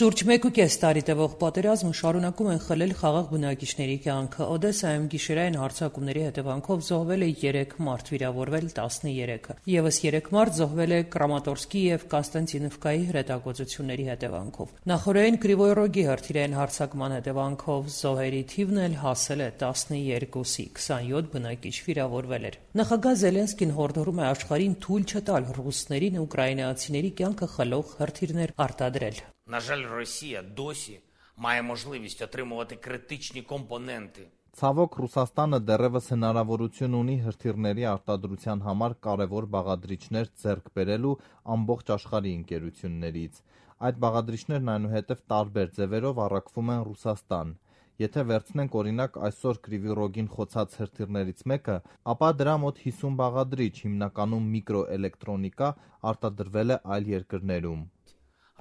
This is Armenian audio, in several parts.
Շուրջ 1.5 տարի տևող պատերազմը շարունակում են խլել խաղաղ բնակիչների կյանքը։ Օդեսայում գիշերային հարձակումների հետևանքով զոհվել է 3 մարդ, վիրավորվել 13-ը։ Եվս 3 մարդ զոհվել է Կրամատորսկի եւ Կոստանտինովկայի հրետակոծությունների հետևանքով։ Նախօրեին Կրիվոյ Ռոգի հրթիռային հարձակման հետևանքով զոհերի թիվն էլ հասել է 12-ի, 27 բնակիչ վիրավորվել էր։ Նախագահ Զելենսկին հորդորում է աշխարհին թույլ չտալ ռուսներին ուկրաինացիների կյանքը խլող հրթիռներ արտադրել։ На жаль, Росія досі має можливість отримувати критичні компоненти. Ցավոք Ռուսաստանը դեռևս հնարավորություն ունի հրթիռների արտադրության համար կարևոր բաղադրիչներ ձեռք բերելու ամբողջ աշխարհի ընկերություններից։ Այդ բաղադրիչներն այնուհետև տարբեր ձևերով առաքվում են Ռուսաստան։ Եթե վերցնենք օրինակ այսօր Կրիվոյ Ռոգին խոցած հրթիռներից մեկը, ապա դրա մոտ 50 բաղադրիչ, հիմնականում միկրոէլեկտրոնիկա, արտադրվել է այլ երկրներում։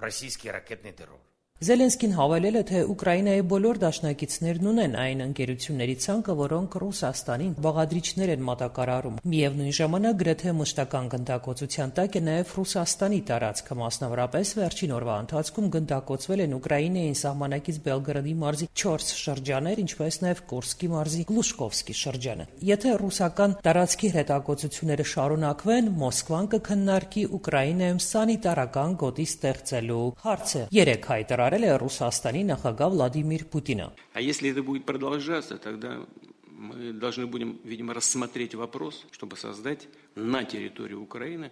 Російський ракетний терор. Զելենսկին հավելել է, թե Ուկրաինայի բոլոր դաշնակիցներն ունեն այն ընկերությունների ցանկը, որոնք Ռուսաստանին բաղադրիչներ են մատակարարում։ Միևնույն ժամանակ գրեթե մշտական գնդակոծության տակ է նաև Ռուսաստանի տարածքը, մասնավորապես վերջին օրվա ընթացքում գնդակոծվել են Ուկրաինային սահմանակից Բելգրադի մարզի 4 շրջաններ, ինչպես նաև Կուրսկի մարզի Գլուշկովսկի շրջանը։ Եթե ռուսական տարածքի հրետակոծությունները շարունակվեն, Մոսկվան կքննարկի Ուկրաինայում սանիտարական գոտի ստեղծելու հարցը։ 3 հայտարարել Ռուսաստանի նախագահ Վլադիմիր Պուտինը։ А если это будет продолжаться, тогда мы должны будем, видимо, рассмотреть вопрос, чтобы создать на территории Украины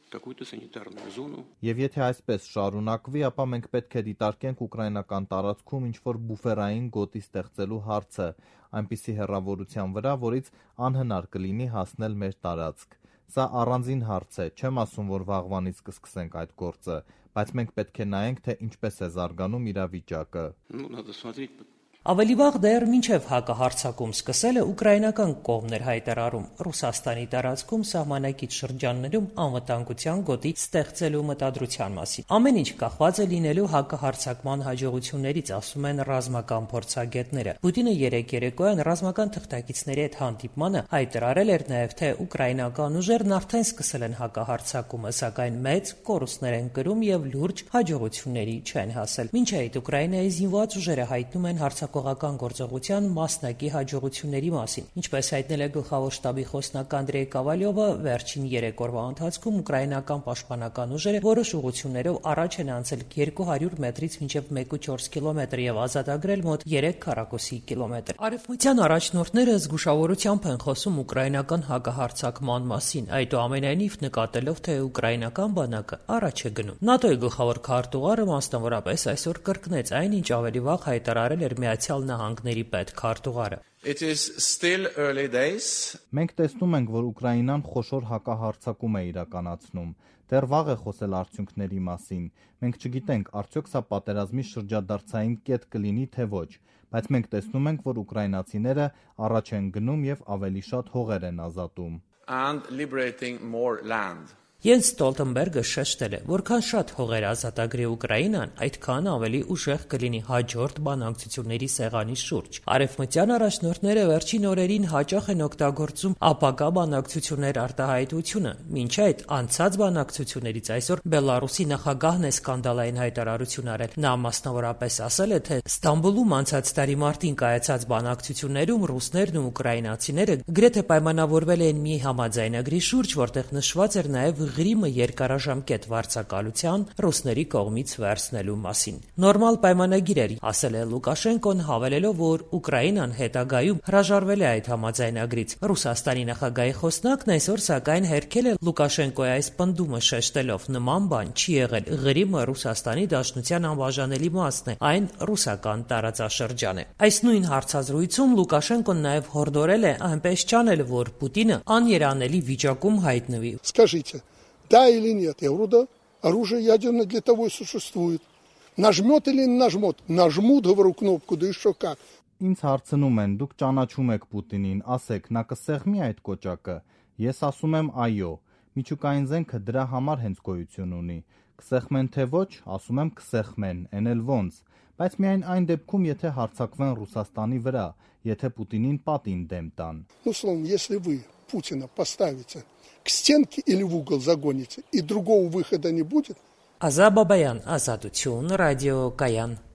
какую-то санитарную зону. Եվ եթե այսպես շարունակվի, ապա մենք պետք է դիտարկենք ուկրաինական տարածքում ինչ-որ բուֆերային գոտի ստեղծելու հարցը, այնպիսի հեռավորության վրա, որից անհնար կլինի հասնել մեր տարածք։ Սա առանձին հարց է, չեմ ասում, որ վաղվանից կսկսենք այդ գործը, բայց մենք պետք է նայենք, թե ինչպես է զարգանում իրավիճակը։ Надо смотреть. Ավելի վաղ դեռ մինչև հակահարձակում սկսելը ուկրաինական կողմն էր հայտարարում Ռուսաստանի տարածքում սահմանակից շրջաններում անվտանգության գոտի ստեղծելու մտադրության մասին։ Ամեն ինչ կախված է լինելու հակահարձակման հաջողություններից, ասում են ռազմական փորձագետները։ Պուտինը երեկոյան ռազմական թղթակիցների հետ հանդիպմանը հայտարարել էր նաև, թե ուկրաինական ուժերն արդեն սկսել են հակահարձակումը, սակայն մեծ կորուստներ են կրում եւ լուրջ հաջողությունների չեն հասել։ Մինչ այդ Ուկրաինայի զինված ուժերը հայտնում են հարձակողական գործողության մասնակի հաջողությունների մասին։ Ինչպես հայտնել է գլխավոր շտաբի խոսնակ Անդրեյ Կավալյովը, վերջին 3 օրվա ընթացքում ուկրաինական պաշտպանական ուժերը որոշ ուղղություններով առաջ են անցել 200 մետրից մինչև 1.4 կիլոմետր եւ ազատագրել մոտ 3 քառակուսի կիլոմետր։ Արևմտյան առաջնորդները զգուշավորությամբ են խոսում ուկրաինական հակահարձակման մասին, այդուամենայնիվ նկատելով, թե ուկրաինական բանակը առաջ է գնում։ ՆԱՏՕ-ի գլխավոր քարտուղարը մասնավորապես այսօր կրկնեց այն, ինչ ավելի վաղ հայտարարել էր Միացյալ Նահանգների պետքարտուղարը։ It is still early days. Մենք տեսնում ենք, որ Ուկրաինան խոշոր հակահարձակում է իրականացնում։ Դեռ վաղ է խոսել արդյունքների մասին։ Մենք չգիտենք, արդյոք սա պատերազմի շրջադարձային կետ կլինի, թե ոչ, բայց մենք տեսնում ենք, որ ուկրաինացիները առաջ են գնում եւ ավելի շատ հողեր են ազատում։ And liberating more land. Յենս Ստոլտենբերգը շեշտել է, որքան շատ հողեր ազատագրի Ուկրաինան, այդքան ավելի ուժեղ կլինի հաջորդ բանակցությունների սեղանի շուրջ։ Արևմտյան առաջնորդները վերջին օրերին հաճախ են օգտագործում ապագա բանակցություններ արտահայտությունը։ Մինչ այդ անցած բանակցություններից այսօր Բելարուսի նախագահն է սկանդալային հայտարարություն արել։ Նա մասնավորապես ասել է, թե Ստամբուլում անցած տարի մարտին կայացած բանակցություններում ռուսներն ու ուկրաինացիները գրեթե պայմանավորվել են մի համաձայնագրի շուրջ, որտեղ նշված էր նաև Ղրիմը երկարաժամկետ վարձակալության ռուսների կողմից վերցնելու մասին։ Նորմալ պայմանագիր էր, ասել է Լուկաշենկոն, հավելելով, որ Ուկրաինան հետագայում հրաժարվել է այդ համաձայնագրից։ Ռուսաստանի նախագահի խոսնակն այսօր սակայն հերքել է Լուկաշենկոյի այս պնդումը, շեշտելով, նման բան չի եղել։ Ղրիմը Ռուսաստանի Դաշնության անբաժանելի մասն է, այն ռուսական տարածաշրջան է։ Այս нույն հարցազրույցում Լուկաշենկոն նաև հորդորել է այնպես չանել, որ Պուտինը աներանելի վիճակում հայտնվի։ Скажите, да или нет? Я говорю, да. Оружие ядерное для того и существует. Нажмет или не нажмет? Нажмут, говорю, кнопку, да еще как. Ինձ հարցնում են, դուք ճանաչում եք Պուտինին, ասեք, նա կսեղմի այդ կոճակը։ Ես ասում եմ այո։ Միջուկային զենքը դրա համար հենց գոյություն ունի։ Կսեղմեն թե ոչ, ասում եմ կսեղմեն, են էլ ոնց։ Բայց միայն այն դեպքում, եթե հարձակվեն Ռուսաստանի վրա, եթե Պուտինին պատին դեմ տան։ Ну, словом, если вы Путина поставите к стенке или в угол загоните, и другого выхода не будет. Ազա Բաբայան, Ազատություն, ռադիո Կայան։